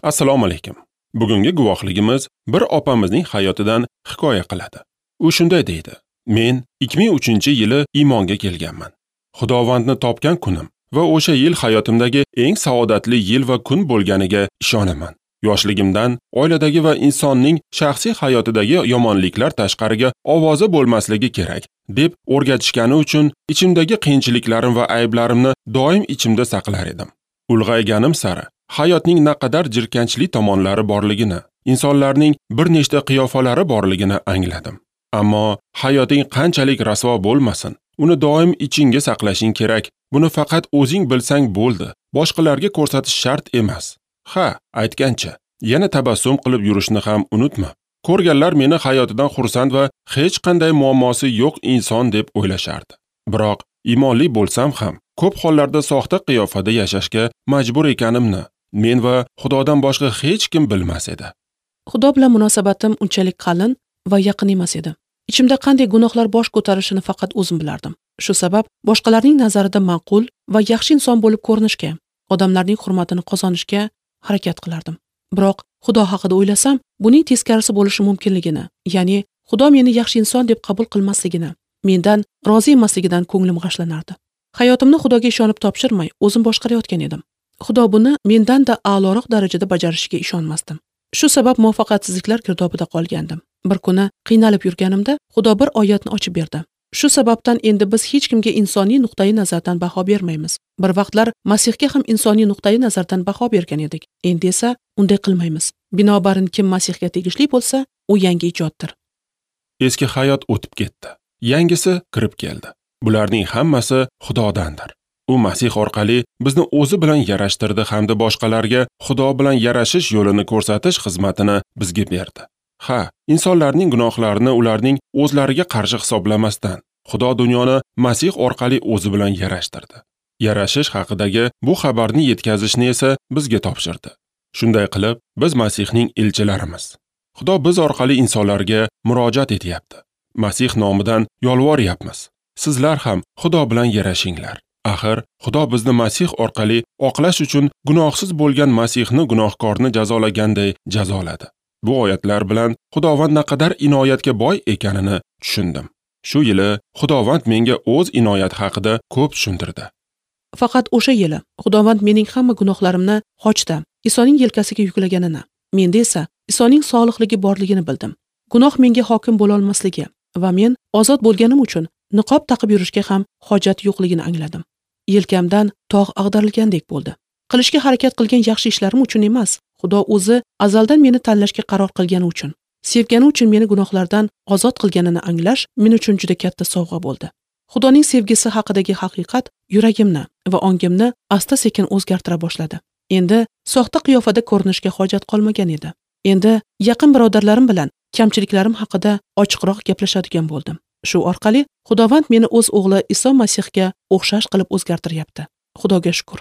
Assalomu alaykum. Bugungi guvohligimiz bir opamizning hayotidan hikoya qiladi. U shunday deydi: Men 2003-yili iymonga kelganman. Xudovandni topgan kunim va o'sha yil hayotimdagi eng saodatli yil va kun bo'lganiga ishonaman. Yoshligimdan oiladagi va insonning shaxsiy hayotidagi yomonliklar tashqariga ovozi bo'lmasligi kerak deb o'rgatishgani uchun ichimdagi qiyinchiliklarim va ayblarimni doim ichimda saqlar edim. Ulg'ayganim sari hayotning naqadar jirkanchli tomonlari borligini, insonlarning bir nechta qiyofalari borligini angladim. Ammo hayoting qanchalik rasvo bo'lmasin, uni doim ichingga saqlashing kerak. Buni faqat o'zing bilsang bo'ldi, boshqalarga ko'rsatish shart emas. Ha, aytgancha, yana tabassum qilib yurishni ham unutma. Ko'rganlar meni hayotidan xursand va hech qanday muammosi yo'q inson deb o'ylashardi. Biroq iymonli bo'lsam ham ko'p hollarda soxta qiyofada yashashga majbur ekanimni men va Xudodan boshqa hech kim bilmas edi. Xudo bilan munosabatim unchalik qalin va yaqin emas edi. Ichimda qanday gunohlar bosh ko'tarishini faqat o'zim bilardim. Shu sabab boshqalarning nazarida ma'qul va yaxshi inson bo'lib ko'rinishga, odamlarning hurmatini qozonishga harakat qilardim. Biroq Xudo haqida o'ylasam, buning teskarisi bo'lishi mumkinligini, ya'ni Xudo meni yaxshi inson deb qabul qilmasligini, mendan rozi emasligidan ko'nglim g'ashlanardi. Hayotimni Xudoga ishonib topshirmay, o'zim boshqarayotgan edim. Xudo buni mendan-da a'loroq darajada bajarishiga ishonmasdim. Shu sabab muvaffaqiyatsizliklar girdobida qolgandim. Bir kuni qiynalib yurganimda Xudo bir oyatni ochib berdi. Shu sababdan endi biz hech kimga insoniy nuqtai nazardan baho bermaymiz. Bir vaqtlar Masihga ham insoniy nuqtai nazardan baho bergan edik. Endi esa unday qilmaymiz. Binobarin kim Masihga tegishli bo'lsa, u yangi ijoddir. Eski hayot o'tib ketdi. Yangisi kirib keldi. Bularning hammasi Xudodandir. U Masih orqali bizni o'zi bilan yarashtirdi hamda boshqalarga Xudo bilan yarashish yo'lini ko'rsatish xizmatini bizga berdi. Ha, insonlarning gunohlarini ularning o'zlariga qarshi hisoblamasdan, Xudo dunyoni Masih orqali o'zi bilan yarashtirdi. Yarashish haqidagi bu xabarni yetkazishni esa bizga topshirdi. Shunday qilib, biz Masihning elchilarimiz. Xudo biz orqali insonlarga murojaat etyapti. Masih nomidan yolvoryapmiz. Sizlar ham Xudo bilan yarashinglar. Axir, Xudo bizni Masih orqali oqlash uchun gunohsiz bo'lgan Masihni gunohkorni jazolaganday jazoladi. Bu oyatlar bilan Xudovand naqadar inoyatga boy ekanini tushundim. Shu yili Xudovand menga o'z inoyati haqida ko'p tushuntirdi. Faqat o'sha yili Xudovand mening hamma gunohlarimni xochda Isoning yelkasiga yuklaganini, menda esa Isoning solihligi borligini bildim. Gunoh menga hokim bo'la olmasligi va men ozod bo'lganim uchun niqob taqib yurishga ham hojat yo'qligini angladim. Yelkamdan tog' ag'darilgandek bo'ldi. Qilishga harakat qilgan yaxshi ishlarim uchun emas, Xudo o'zi azaldan meni tanlashga qaror qilgani uchun, sevgani uchun meni gunohlardan ozod qilganini anglash men uchun juda katta sovg'a bo'ldi. Xudoning sevgisi haqidagi haqiqat yuragimni va ongimni asta-sekin o'zgartira boshladi. Endi soxta qiyofada ko'rinishga hojat qolmagan edi. Endi yaqin birodarlarim bilan kamchiliklarim haqida ochiqroq gaplashadigan bo'ldim. Shu orqali Xudovand meni o'z o'g'li Iso Masihga o'xshash qilib o'zgartiryapti. Xudoga shukr.